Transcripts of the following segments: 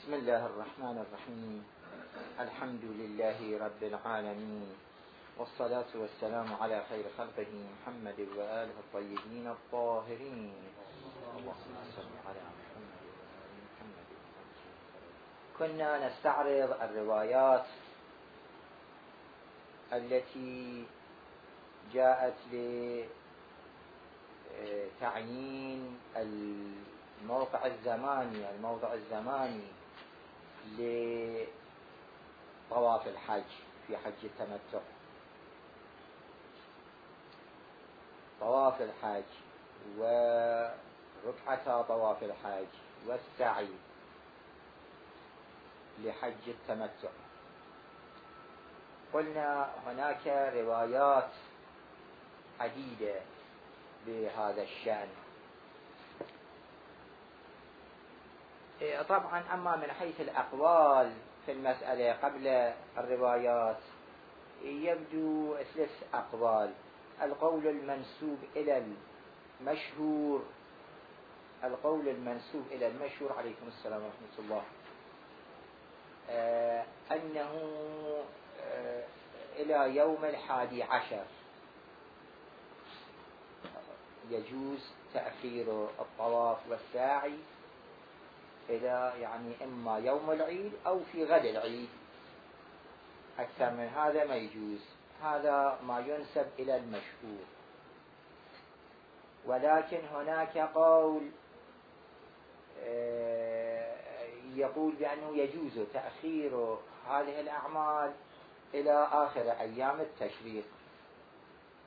بسم الله الرحمن الرحيم. الحمد لله رب العالمين، والصلاة والسلام على خير خلقه محمد وآله الطيبين الطاهرين. اللهم صل على محمد وآل محمد. كنا نستعرض الروايات التي جاءت لتعيين الموضع الزماني لطواف الحج في حج التمتع. طواف الحج وركعتا طواف الحج والسعي لحج التمتع. قلنا هناك روايات عديدة بهذا الشأن. طبعا أما من حيث الأقوال في المسألة قبل الروايات يبدو 3 أقوال. القول المنسوب إلى المشهور عليكم السلام ورحمة الله أنه إلى يوم 11 يجوز تأخير الطواف والسعي إلى إما يوم العيد أو في غد العيد. أكثر من هذا ما يجوز. هذا ما ينسب إلى المشهور. ولكن هناك قول يقول بأنه يجوز تأخير هذه الأعمال إلى آخر أيام التشريق،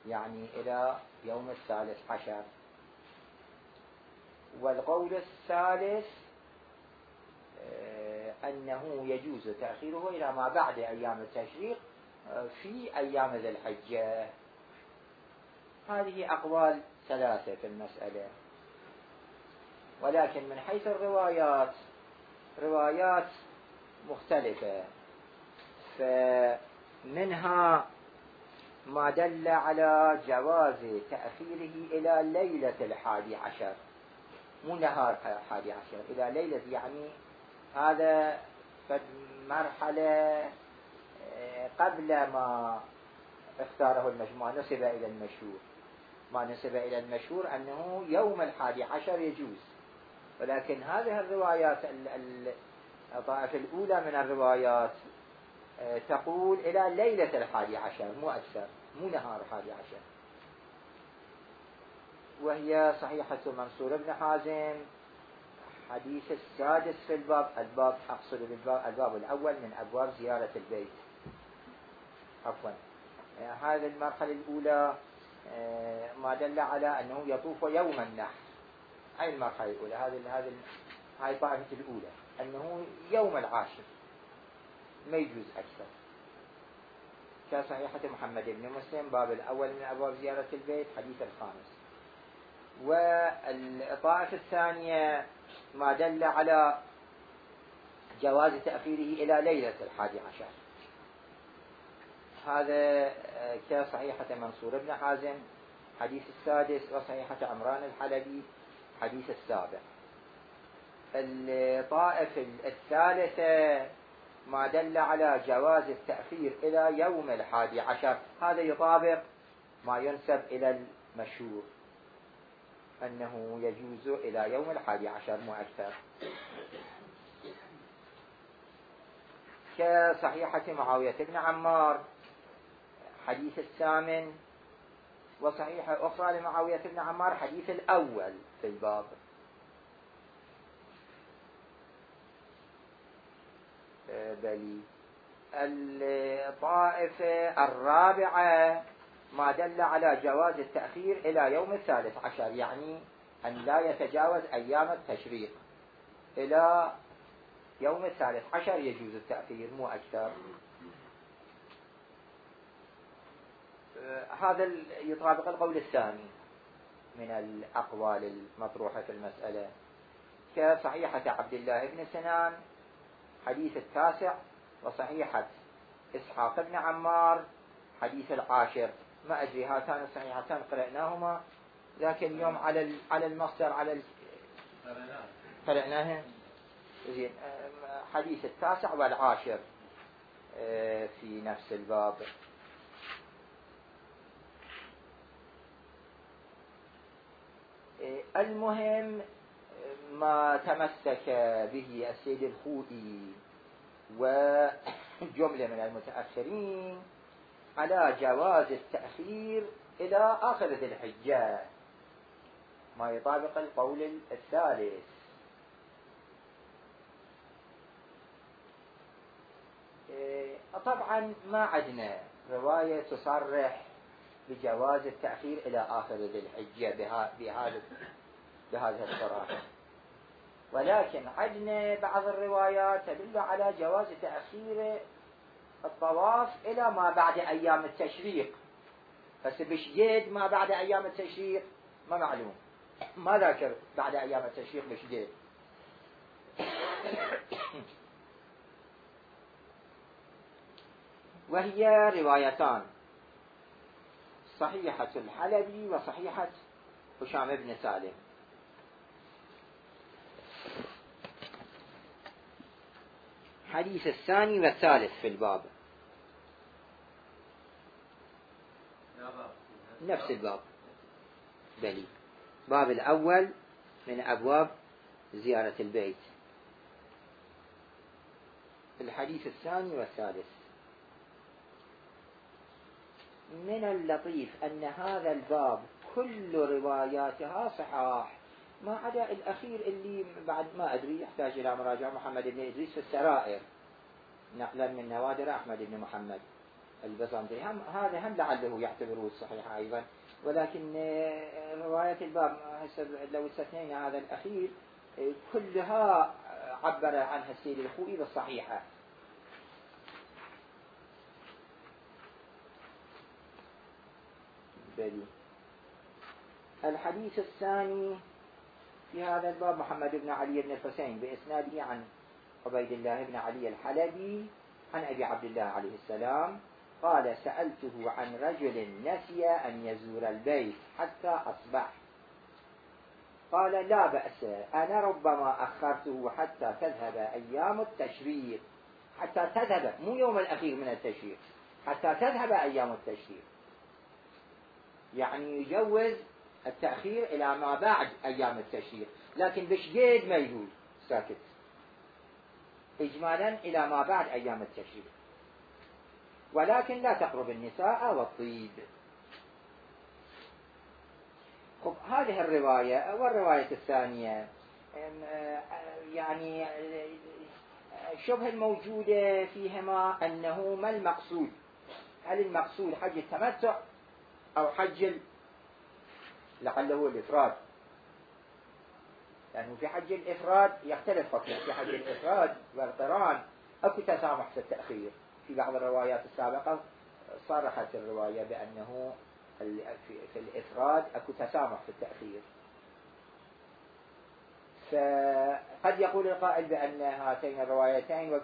إلى يوم 13. والقول الثالث أنه يجوز تأخيره إلى ما بعد أيام التشريق في أيام ذي الحجة. هذه أقوال 3 في المسألة. ولكن من حيث الروايات روايات مختلفة. فمنها ما دل على جواز تأخيره إلى ليلة 11، مو نهار 11، إلى ليلة، هذا مرحلة قبل ما اختاره المجموعة نسب إلى المشهور. ما نسب إلى المشهور أنه يوم 11 يجوز. ولكن هذه الروايات الطائفة الأولى من الروايات تقول إلى ليلة 11 مو أكثر، مو نهار 11. وهي صحيحة منصور بن حازم، حديث السادس في الباب أقصد الباب الأول من أبواب زيارة البيت. عفوا، هذه المرحلة الأولى ما دل على أنه يطوف يوم النحر. هاي المرحلة الأولى، هاي طائفة الأولى أنه يوم 10 ما يجوز أكثر. كصحيحة محمد بن مسلم باب الأول من أبواب زيارة البيت حديث 5. والطائفة الثانية ما دل على جواز تأخيره إلى ليلة 11. هذا كصحيحة منصور بن حازم حديث السادس، وصحيحة عمران الحلبي حديث 7. الطائفة الثالثة ما دل على جواز التأخير إلى يوم 11. هذا يطابق ما ينسب إلى المشهور أنه يجوز إلى يوم 11 مو أكثر. كصحيحة معاوية بن عمار حديث 8، وصحيحة أخرى لمعاوية بن عمار حديث الأول في الباب. بلي الطائفة الرابعة ما دل على جواز التأخير إلى يوم 13، أن لا يتجاوز أيام التشريق، إلى يوم 13 يجوز التأخير مو أكثر. هذا يطابق القول الثاني من الأقوال المطروحة في المسألة. كصحيحة عبد الله بن سنان حديث 9، وصحيحة إسحاق بن عمار حديث 10. ما أدري هاتان الصحيحتان قرأناهما ذاك اليوم على المصدر قرأناها زين. حديث 9 و10 في نفس الباب. المهم ما تمسك به السيد الخوئي وجملة من المتأخرين على جواز التأخير إلى آخر ذي الحجة، ما يطابق القول الثالث. طبعا ما عندنا رواية تصرح بجواز التأخير إلى آخر ذي الحجة بهذه الصراحة، ولكن عندنا بعض الروايات تدل على جواز تأخير الطواف إلى ما بعد أيام التشريق. بس بشديد ما بعد أيام التشريق ما معلوم، ما ذاكر بعد أيام التشريق بشديد. وهي روايتان، صحيحة الحلبي وصحيحة هشام بن سالم. حديث الثاني والثالث في الباب، نفس الباب، بلي باب الأول من أبواب زيارة البيت. الحديث الثاني والثالث. من اللطيف أن هذا الباب كل رواياتها صحاح، ما عدا الأخير اللي بعد ما أدري يحتاج إلى مراجعة، محمد بن إدريس في السرائر نقلا من نوادر أحمد بن محمد البزنطي، هذا هم لعله يعتبره الصحيح أيضا، ولكن رواية الباب لو استثنينا هذا الأخير كلها عبر عنها السيد الخوئي بالصحيحة. بلي. الحديث الثاني في هذا الباب محمد بن علي بن الحسين بإسناده عن عبيد الله بن علي الحلبي عن أبي عبد الله عليه السلام قال: سألته عن رجل نسي أن يزور البيت حتى أصبح، قال: لا بأس، أنا ربما أخرته حتى تذهب أيام التشريق. حتى تذهب، مو يوم الأخير من التشريق، حتى تذهب أيام التشريق، يعني يجوز التأخير إلى ما بعد أيام التشريق، لكن بشديد ما يجوز، ساكت، إجمالا إلى ما بعد أيام التشريق، ولكن لا تقرب النساء والطيب. خب هذه الرواية والرواية الثانية يعني الشبهة الموجودة فيهما أنه ما المقصود، هل المقصود حج التمتع أو حج لعله الإفراد؟ لأنه في حج الإفراد يختلف حكمه، في حج الإفراد والقران أكو تسامح في التأخير. في بعض الروايات السابقة صرحت الرواية بأنه في الإفراد أكو تسامح في التأخير، فقد يقول القائل بأن هاتين الروايتين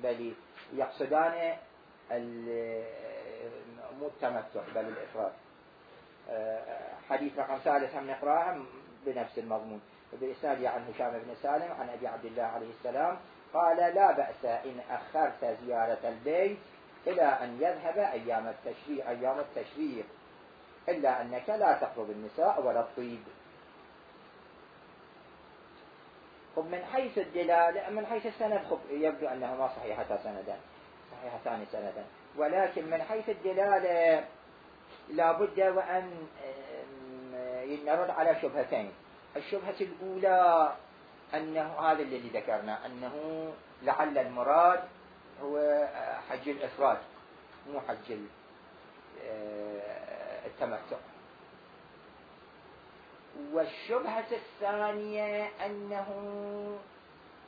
بل يقصدان مو التمتع بل الإفراد. حديث رقم 3 هم نقرأه بنفس المضمون بإسناد عن هشام بن سالم عن أبي عبد الله عليه السلام قال: لا بأس إن أخرت زيارة البيت إلى أن يذهب أيام التشريق إلا أنك لا تقرب النساء ولا الطيب. خب من حيث الدلالة، من حيث السند خب يبدو أنهما صحيحتان سندا، ولكن من حيث الدلالة لابد وأن نرد على شبهتين. الشبهة الأولى أنه هذا الذي ذكرنا، أنه لعل المراد هو حج الإفراد مو حج التمتع. والشبهة الثانية أنه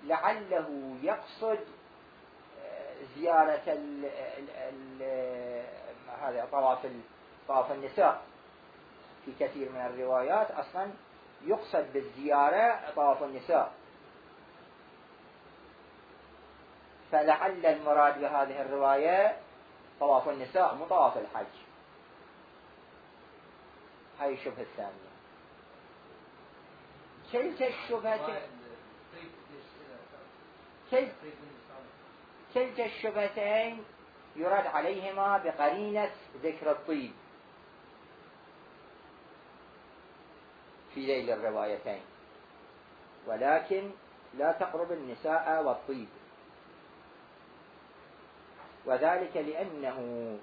لعله يقصد زيارة هذا طواف النساء. في كثير من الروايات أصلا يقصد بالزيارة طواف النساء، فلعل المراد بهذه الرواية طواف النساء مو طواف الحج. هاي الشبهة الثانية. كلتا الشبهة كلتا الشبهتين يرد عليهما بقرينة ذكر الطيب في ذيل الروايتين، ولكن لا تقرب النساء والطيب، وذلك لأنه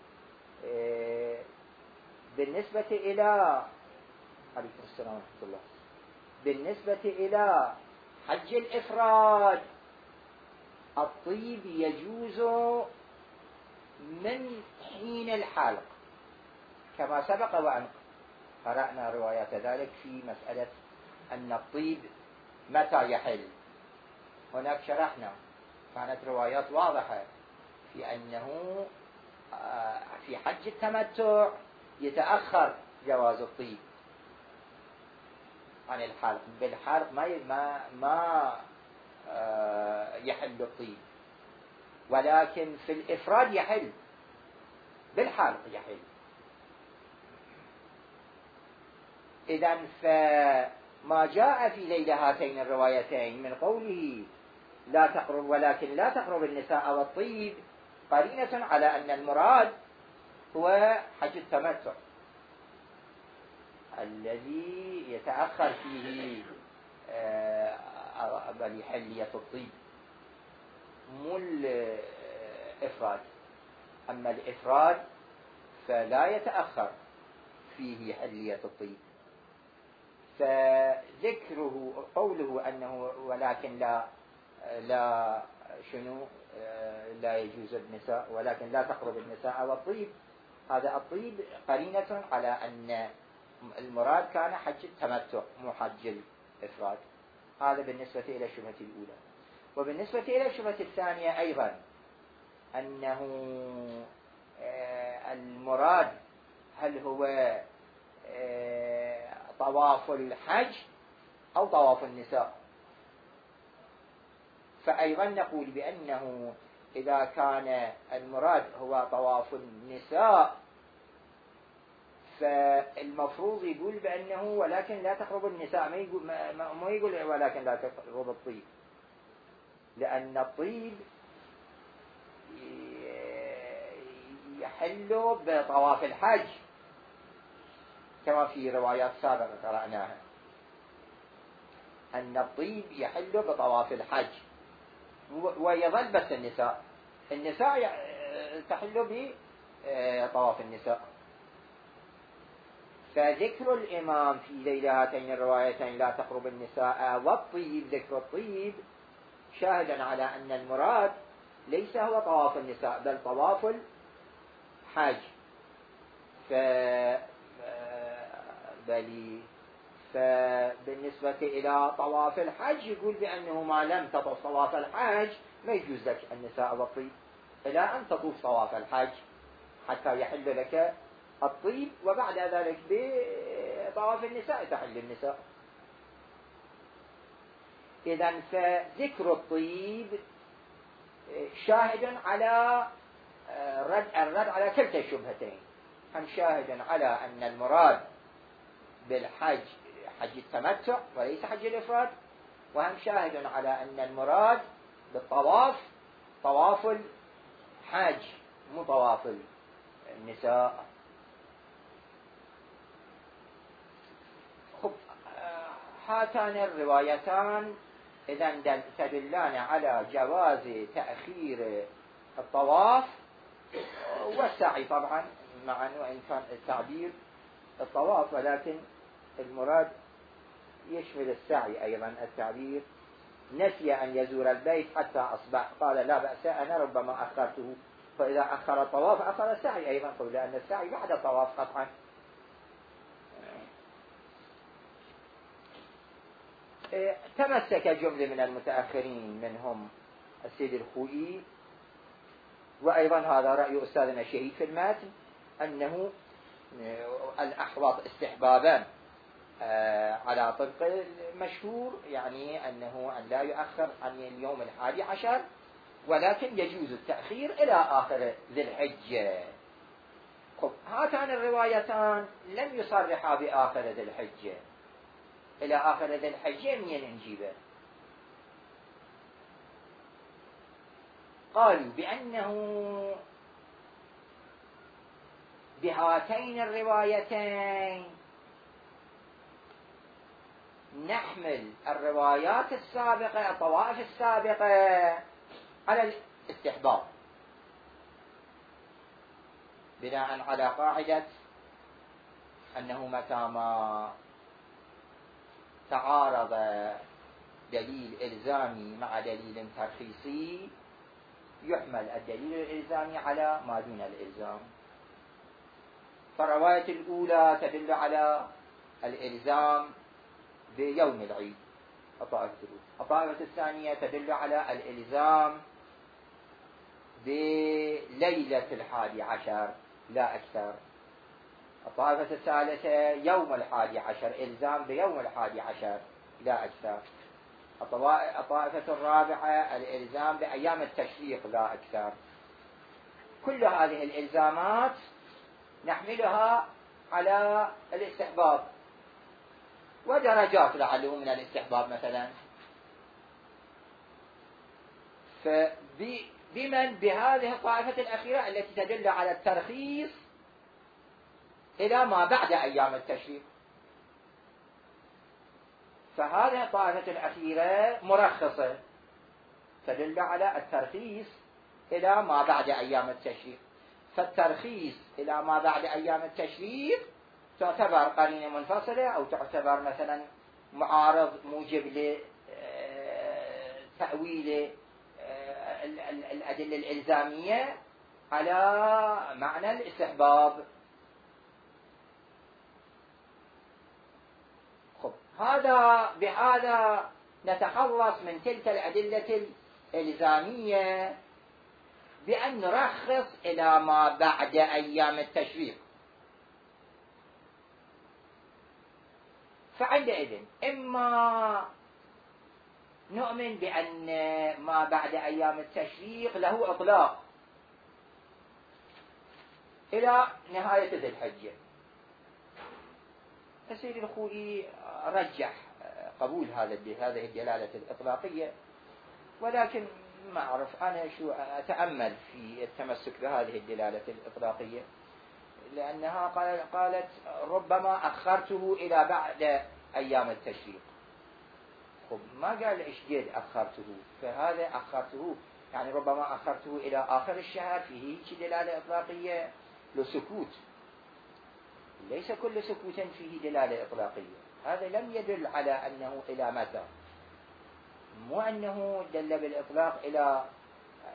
بالنسبة إلى عليكم السلام ورحمة الله، بالنسبة إلى حج الإفراد الطيب يجوز من حين الحلق كما سبق وأن قرأنا روايات ذلك في مسألة أن الطيب متى يحل. هناك شرحنا كانت روايات واضحة في أنه في حج التمتع يتأخر جواز الطيب عن الحلق، بالحلق ما يحل الطيب، ولكن في الإفراد يحل، بالحلق يحل. إذن فما جاء في ليل هاتين الروايتين من قوله لا تقرب ولكن لا تقرب النساء والطيب قرينة على أن المراد هو حج التمتع الذي يتأخر فيه حلية الطيب، مو الإفراد. أما الإفراد فلا يتأخر فيه حلية الطيب. فذكره قوله أنه ولكن لا يجوز النساء ولكن لا تقرب النساء والطيب، هذا الطيب قرينة على أن المراد كان حج التمتع مو حج الإفراد. هذا بالنسبة إلى الشبهة الأولى. وبالنسبة إلى الشبهة الثانية أيضا أنه المراد هل هو طواف الحج أو طواف النساء، فأيضا نقول بأنه إذا كان المراد هو طواف النساء فالمفروض يقول بأنه ولكن لا تقرب النساء، ما يقول ولكن لا تقرب الطيب، لأن الطيب يحل بطواف الحج كما في روايات سابقة قرأناها أن الطيب يحل بطواف الحج، ويظل بس النساء تحل بطواف النساء. فذكر الإمام في ليل هاتين الروايتين لا تقرب النساء والطيب، ذكر الطيب شاهدا على أن المراد ليس هو طواف النساء بل طواف الحج. فبالنسبة إلى طواف الحج يقول بأنه ما لم تطف طواف الحج ما يجوز لك النساء والطيب إلى أن تطوف طواف الحج حتى يحل لك الطيب، وبعد ذلك بطواف النساء تحل النساء. إذن فذكر الطيب شاهد على الرد على كلتا الشبهتين، هم شاهد على أن المراد بالحج حج التمتع وليس حج الإفراد، وهم شاهد على أن المراد بالطواف طواف الحج مو طواف النساء. خب هاتان الروايتان إذن تدلان على جواز تأخير الطواف والسعي طبعا معا، وإن كان التعبير الطواف ولكن المراد يشمل السعي أيضا. التعبير نسي أن يزور البيت حتى أصبح قال لا بأس أنا ربما أخرته، فإذا أخر الطواف أخر السعي أيضا، لأن السعي بعد الطواف قطعا. تمسك جملة من المتأخرين منهم السيد الخوئي، وأيضا هذا رأي أستاذنا الشهيد في المتن، أنه الأحوط استحبابا على طبق المشهور، يعني أنه أن لا يؤخر عن اليوم 11، ولكن يجوز التأخير إلى آخر ذي الحجة. هاتان الروايتان لم يصرحا بآخر ذي الحجة، إلى آخر ذي الحجة منين نجيبه؟ قالوا بأنه بهاتين الروايتين نحمل الروايات السابقة الطوائف السابقة على الاستحباب، بناء على قاعدة أنه متى ما تعارض دليل إلزامي مع دليل ترخيصي يحمل الدليل الإلزامي على ما دون الإلزام. فالرواية الأولى تدل على الإلزام بيوم العيد الطائفة الثانية تدل على الإلزام بليلة 11 لا أكثر. الطائفة الثالثة يوم 11 إلزام بيوم 11 لا أكثر. الطائفة الرابعة الإلزام بأيام التشريق لا أكثر. كل هذه الإلزامات نحملها على الاستحباب، ودرجات لعله من الاستحباب مثلا. فبمن بهذه الطائفة الأخيرة التي تدل على الترخيص إلى ما بعد أيام التشريق، فهذه الطائفة الأخيرة مرخصة تدل على الترخيص إلى ما بعد أيام التشريق. فالترخيص إلى ما بعد أيام التشريق تعتبر قرينة منفصلة، أو تعتبر مثلا معارض موجب لتأويل الأدلة الإلزامية على معنى الاستحباب. بهذا نتخلص من تلك الأدلة الإلزامية بأن نرخص إلى ما بعد أيام التشريق. فعندئذ إما نؤمن بأن ما بعد أيام التشريق له إطلاق إلى نهاية ذي الحجة. السيد الخوئي رجح قبول هذه الدلالة الإطلاقية، ولكن ما أعرف أنا شو أتأمل في التمسك بهذه الدلالة الإطلاقية، لأنها قالت ربما أخرته إلى بعد أيام التشريق. خب ما قال إيش قد أخرته، فهذا أخرته يعني ربما أخرته إلى آخر الشهر، فيه دلالة إطلاقية لسكوت. ليس كل سكوت فيه دلالة إطلاقية، هذا لم يدل على أنه إلى متى، مو أنه دل بالإطلاق إلى،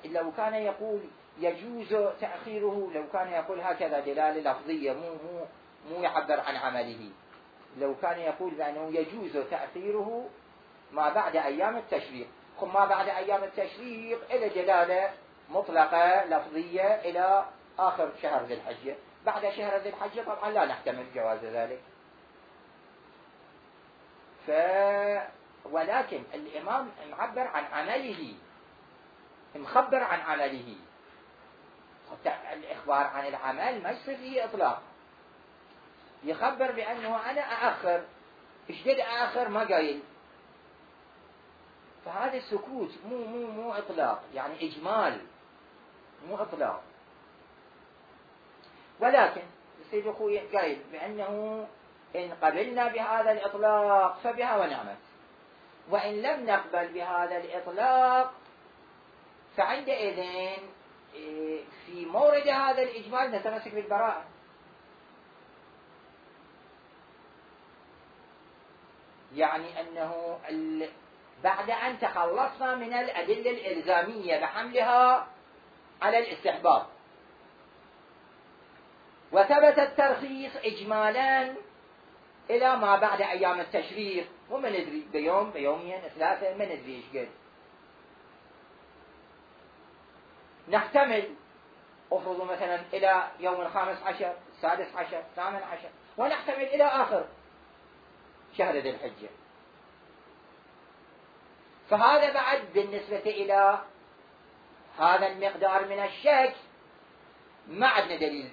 إلا لو كان يقول يجوز تأخيره، لو كان يقول هكذا دلالة لفظية مو يعبر عن عمله، لو كان يقول بأنه يجوز تأخيره ما بعد أيام التشريق، ما بعد أيام التشريق إلى دلالة مطلقة لفظية إلى آخر شهر ذي الحجة. بعد شهر ذي الحجة طبعا لا نحتمل جواز ذلك. ولكن الإمام معبر عن عمله، مخبر عن عمله. الإخبار عن العمل ما يصير فيه إطلاق، يخبر بأنه أنا أأخر، إيش قد أأخر ما قايل. فهذا السكوت مو إطلاق، يعني إجمال مو إطلاق. ولكن السيد أخوي قايل بأنه إن قبلنا بهذا الإطلاق فبها ونعمت، وإن لم نقبل بهذا الإطلاق فعندئذ في مورد هذا الإجمال نتمسك بالبراءة. يعني أنه بعد أن تخلصنا من الأدلة الإلزامية بحملها على الاستحباب وثبت الترخيص إجمالا إلى ما بعد أيام التشريق، وما ندري بيوم بيومين 3 ما ندري إيش قد، نحتمل أفرض مثلا إلى يوم 15 16 18 ونحتمل إلى آخر شهر ذي الحجة. فهذا بعد بالنسبة إلى هذا المقدار من الشك ما عندنا دليل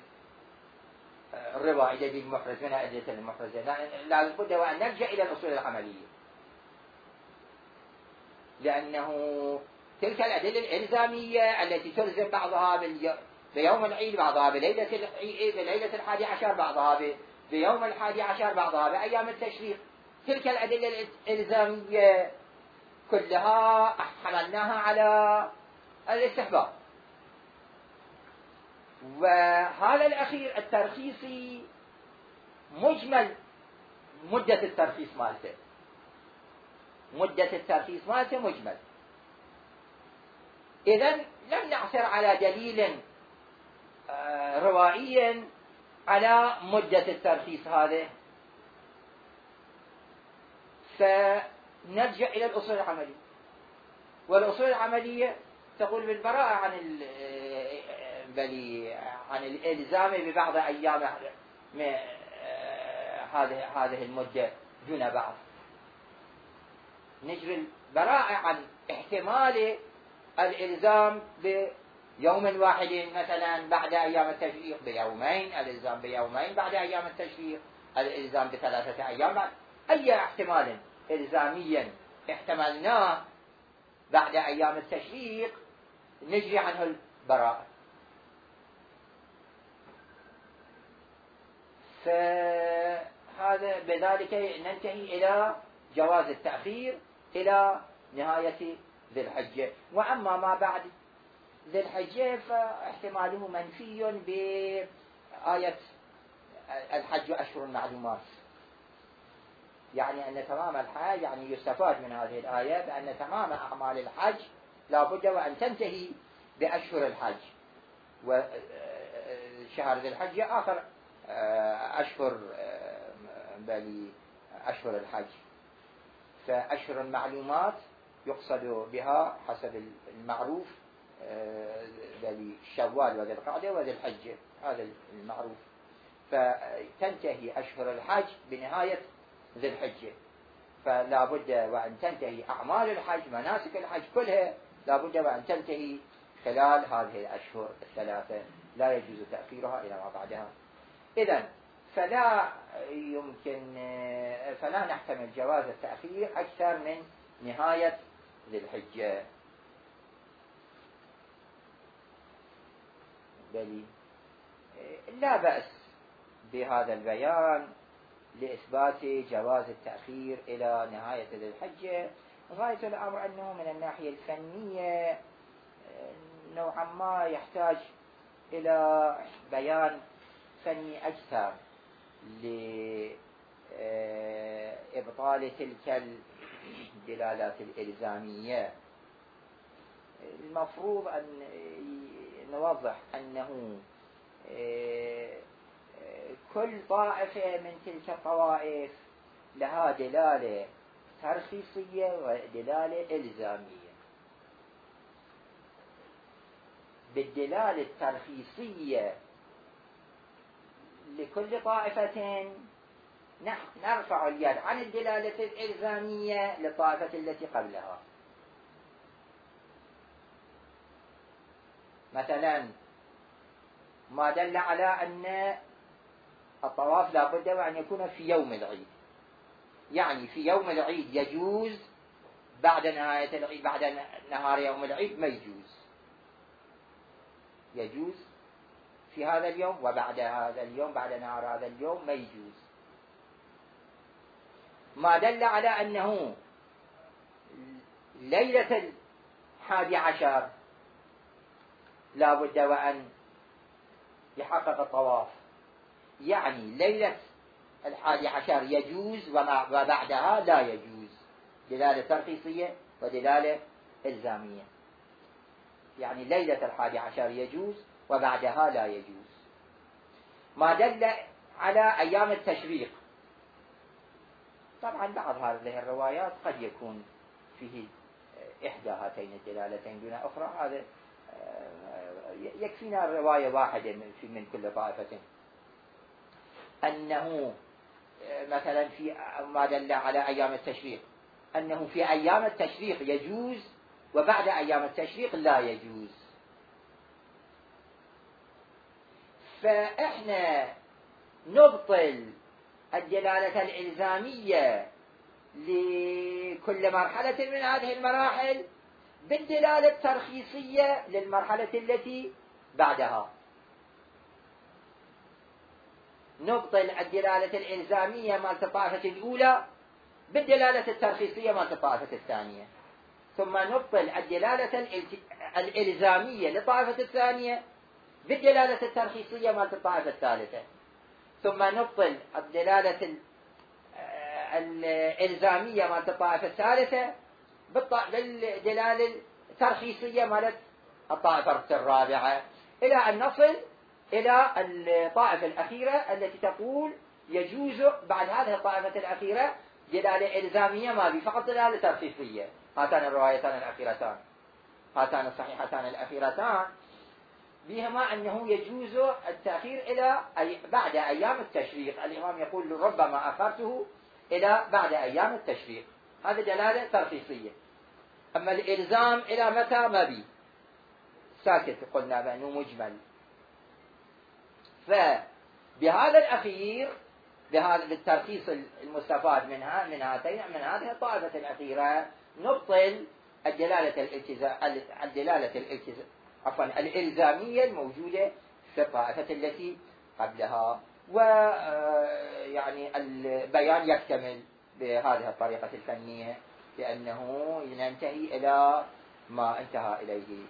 الربا دليل محرز من الأدلة المحرزة، لا بد وأن نرجع إلى الأصول العملية، لأنه تلك الأدلة الإلزامية التي تلزم بعضها بيوم العيد، بعضها بليلة 11، بعضها بيوم 11، بعضها بأيام التشريق. تلك الأدلة الإلزامية كلها حملناها على الاستحباب. وهذا الأخير الترخيصي مجمل مدة الترخيص مالته مجمل. إذن لم نعثر على دليل روائي على مدة الترخيص هذه، فنرجع إلى الأصول العملية. والأصول العملية تقول بالبراءة عن الإلزام ببعض أيام هذه المدة دون بعض. نجري البراءة عن احتمال الإلزام بيوم واحد مثلا بعد أيام التشريق، بيومين الإلزام بيومين بعد أيام التشريق، الإلزام ب3 أيام بعد. أي احتمال إلزاميا احتملناه بعد أيام التشريق نجري عنه البراءة. فهذا بذلك ننتهي إلى جواز التأخير إلى نهاية ذي الحجة. وأما ما بعد ذي الحجة فاحتماله منفي بآية الحج أشهر معلومات، يعني أن تمام الحج، يعني يستفاد من هذه الآية بأن تمام أعمال الحج لا بد وأن تنتهي بأشهر الحج، وشهر ذي الحجة آخر أشهر الحج. فأشهر المعلومات يقصد بها حسب المعروف شوال وذي القعدة وذي الحجة، هذا المعروف. فتنتهي أشهر الحج بنهاية ذي الحجة، فلا بد وأن تنتهي أعمال الحج، مناسك الحج كلها لا بد وأن تنتهي خلال هذه الأشهر الثلاثة، لا يجوز تأخيرها إلى ما بعدها. إذن فلا نحتمل جواز التأخير أكثر من نهاية ذي الحجة. بل لا بأس بهذا البيان لإثبات جواز التأخير إلى نهاية ذي الحجة. غاية الأمر أنه من الناحية الفنية نوعا ما يحتاج إلى بيان فني أكثر لإبطال تلك الدلالات الإلزامية. المفروض أن نوضح أنه كل طائفة من تلك الطوائف لها دلالة ترخيصية ودلالة إلزامية. بالدلالة الترخيصية لكل طائفة نرفع اليد عن الدلالة الإلزامية للطائفة التي قبلها. مثلا ما دل على أن الطواف لا بد وأن يكون في يوم العيد، يعني في يوم العيد يجوز، بعد نهاية العيد بعد نهار يوم العيد ما يجوز في هذا اليوم، وبعد هذا اليوم بعد نهار هذا اليوم ما يجوز. ما دل على أنه ليلة 11 لا بد وأن يحقق الطواف، يعني ليلة 11 يجوز وبعدها لا يجوز، دلالة ترخيصية ودلالة إلزامية. يعني ليلة 11 يجوز وبعدها لا يجوز. ما دل على أيام التشريق، طبعا بعض هذه الروايات قد يكون فيه إحدى هاتين الدلالتين دون أخرى، هذا يكفينا رواية واحدة من كل طائفة. أنه مثلا في ما دل على أيام التشريق أنه في أيام التشريق يجوز وبعد أيام التشريق لا يجوز. فإحنا نبطل الدلالة الإلزامية لكل مرحلة من هذه المراحل بالدلالة الترخيصية للمرحلة التي بعدها. نبطل الدلالة الإلزامية مالت الطائفة الأولى بالدلالة الترخيصية مالت الطائفة الثانية، ثم نبطل الدلالة الإلزامية للطائفة الثانية بالدلالة الترخيصية مالت الطائفة الثالثة، ثم نبطل الدلالة الإلزامية مالت الطائفة الثالثة بالدلالة الترخيصية مالت الطائفة الرابعة، إلى أن نصل إلى الطائفة الأخيرة التي تقول يجوز بعد هذه الطائفة الأخيرة دلالة إلزامية ما بي، فقط دلالة ترخيصية. هاتان الروايتان الأخيرتان، هاتان الصحيحتان الأخيرتان بهما أنه يجوز التأخير إلى بعد أيام التشريق. الإمام يقول ربما أخرته إلى بعد أيام التشريق، هذا دلالة ترخيصية. أما الإلزام إلى متى ما بي، ساكت، قلنا بأنه مجمل. فبهذا الأخير، بهذا الترخيص المستفاد من هذه الطائفة الأخيرة، نبطل الإلزامية الموجودة في الطائفة التي قبلها، ويعني البيان يكتمل بهذه الطريقة الفنية، لأنه ننتهي إلى ما انتهى إليه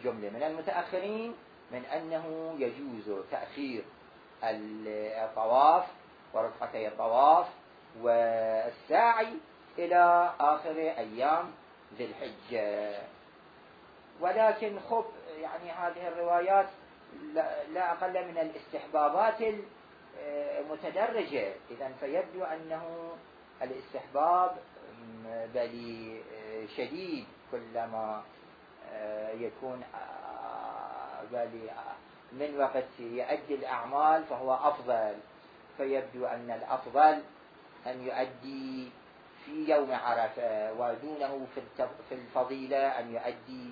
جملة من المتأخرين من أنه يجوز تأخير الطواف ورفقتي الطواف والساعي إلى آخر أيام ذي الحجة. ولكن خب يعني هذه الروايات لا أقل من الاستحبابات المتدرجة، إذن فيبدو أنه الاستحباب بل شديد، كلما يكون بل من وقت يؤدي الأعمال فهو أفضل، فيبدو أن الأفضل أن يؤدي في يوم عرفة، ودونه في الفضيلة أن يؤدي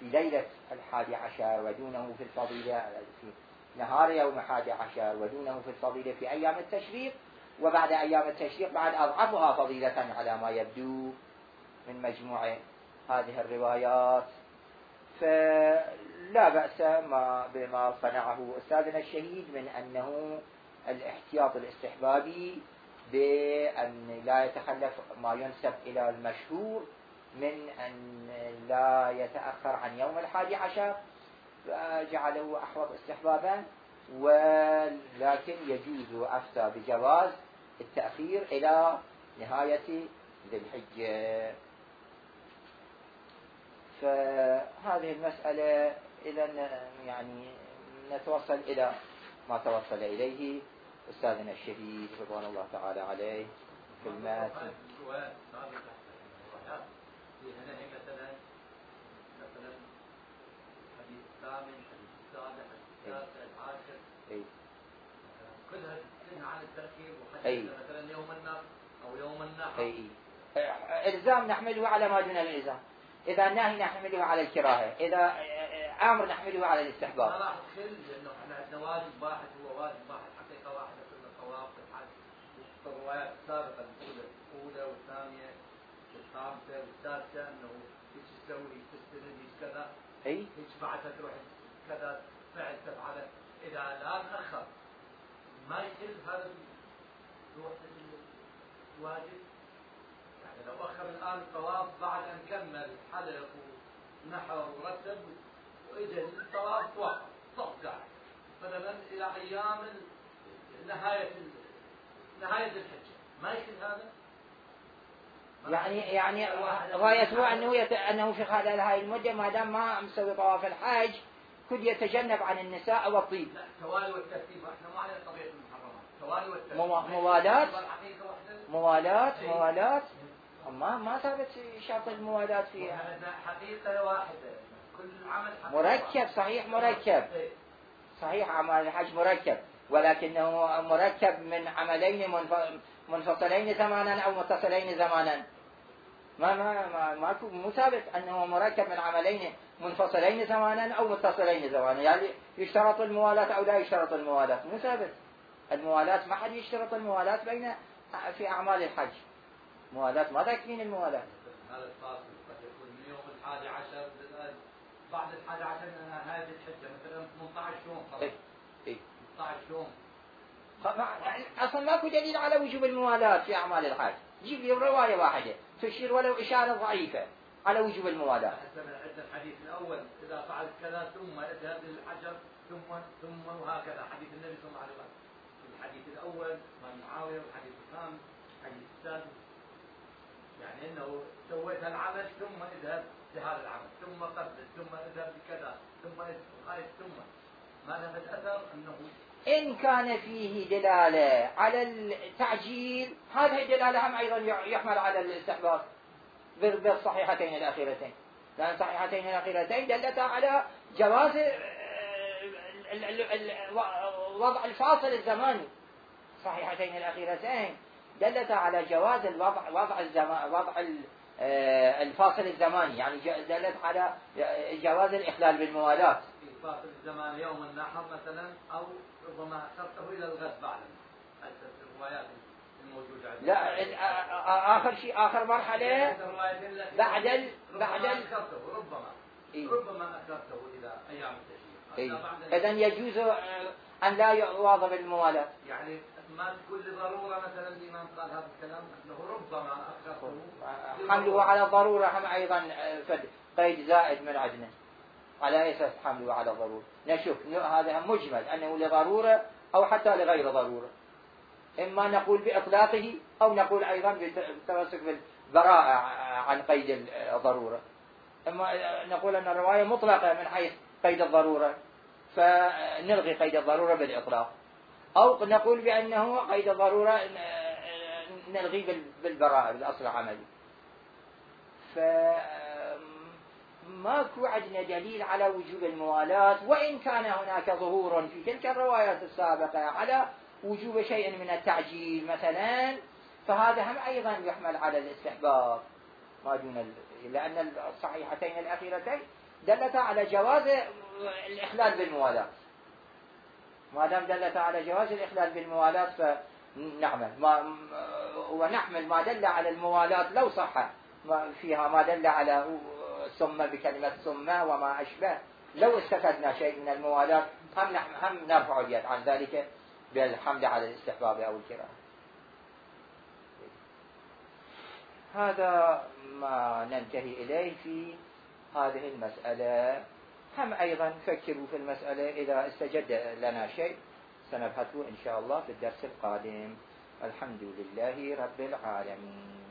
في ليلة 11، ودونه في الفضيلة في نهار يوم 11، ودونه في الفضيلة في أيام التشريق، وبعد أيام التشريق بعد أضعفها فضيلة على ما يبدو من مجموع هذه الروايات. فلا بأس بما صنعه أستاذنا الشهيد من أنه الاحتياط الاستحبابي بأن لا يتخلف ما ينسب إلى المشهور من أن لا يتأخر عن يوم 11، فجعله أحوط استحبابا، ولكن يجوز أفتى بجواز التأخير إلى نهاية ذي الحجة. فهذه المسألة إذن يعني نتوصل إلى ما توصل إليه أستاذنا الشهيد رضوان الله تعالى عليه في الماتن. مثلا حديث الثامن، حديث السابع، حديث التاسع، العاشر، كلها عن التأخير، وحديث مثلا يوم النحر أو يوم النحر. إلزام نحمله على ما دون الإلزام، إذا نهي نحمله على الكراهة، إذا أمر نحمله على الاستحباب. ما راح تخل، لأنه احنا عندنا واجب واحد، هو واجب واحد حقيقة واحدة كل الطواف والحج. الروايات السابقة الأولى والثانية والخامسة والسادسة أنه ايش تسوي، ايش تستند، ايش كذا، ايش بعدها تروح كذا فعل تفعله. إذا لا تأخر ما يخل هذا روح الواجب. يعني لو أخر الآن الطواف بعد أن كمل حلق ونحر ورتب وإجا الطواف وقف صف قاعد مثلا إلى أيام نهاية الحجة، ما يخل هذا. يعني غايته أنه في خلال هاي المدة ما دام ما مسوي طواف الحج كل يتجنب عن النساء والطيب. لا، توالي والترتيب، احنا ما علينا طبيعة المحرمات، توالي والترتيب. موالاة ما ثابت شرط الموالاة فيها. حقيقة واحدة، كل عمل حقيقة مركب، صحيح مركب، صحيح عمل الحج مركب، ولكنه مركب من عملين منفصلين زمانا أو متصلين زمانا. مو ثابت أنه مركب من عملين منفصلين زمانا أو متصلين زمانا، يعني يشترط الموالاة أو لا يشترط الموالاة، مو ثابت. الموالاة ما حد يشترط الموالاة في أعمال الحج، موالاة ما تكفين الموالاة. هذا الفاصل قد يكون من يوم الحادي عشر بعد الحادي عشر نهاية الحجة مثلا 18 يوم خلاص. إيه 18 يوم. اصلا ماكو دليل على وجوب الموالاة في اعمال الحج، جيب لي رواية واحدة تشير ولو اشارة ضعيفة على وجوب الموالاة. عندنا الحديث الاول اذا فعلت كذا ثم اذهب للحجر ثم وهكذا حديث النبي صلى الله عليه وسلم. الحديث الاول عن معاوية والحديث الخامس الحديث السادس يعني انه سويت العمل ثم اذهب لهذا العمل ثم قبل ثم اذهب لكذا ثم ما له الاثر انه إن كان فيه دلالة على التعجيل هذه الدلالة هم أيضا يحمل على الاستحباب بالصحيحتين الأخيرتين، لأن الصحيحتين الأخيرتين دلتا على جواز وضع الفاصل الزماني. الصحيحتين الأخيرتين دلتا على جواز وضع الفاصل الزماني، يعني دلت على جواز الإخلال بالموالاة. فاصل الزمان يوم النحر مثلا او ربما اخرته الى الغد بعد الروايات الموجوده عندنا. لا اخر شيء اخر مرحله بعد ربما اخرته الى ايام التشريق. اذا يجوز ان لا يواظب الموالاه، يعني ما تكون لضروره مثلا الامام قال هذا الكلام انه ربما اخرته حمله على الضروره هم ايضا قيد زائد من عندنا على اساس حمله على ضروره. نشوف هذا مجمل انه لضروره او حتى لغير ضروره، اما نقول باطلاقه او نقول ايضا بالتمسك بالبراءه عن قيد الضروره، اما نقول ان الروايه مطلقه من حيث قيد الضروره فنلغي قيد الضروره بالاطلاق، او نقول بانه قيد الضروره نلغي بالبراءه بالاصل العملي. ماكو عندنا دليل على وجوب الموالاة، وإن كان هناك ظهور في تلك الروايات السابقة على وجوب شيء من التعجيل مثلا، فهذا هم أيضا يحمل على الاستحباب ما دون لأن الصحيحتين الأخيرتين دلتا على جواز الإخلال بالموالاة. ما دام دلتا على جواز الإخلال بالموالاة فنعمل ونحمل ما دل على الموالاة لو صح فيها ما دل على ثم بكلمة ثم وما أشبه، لو استفدنا شيء من الموالاة هم نرفع اليد عن ذلك بالحمد على الاستحباب أو الكراهة. هذا ما ننتهي إليه في هذه المسألة. هم أيضا فكروا في المسألة، إذا استجد لنا شيء سنبحثه إن شاء الله في الدرس القادم. الحمد لله رب العالمين.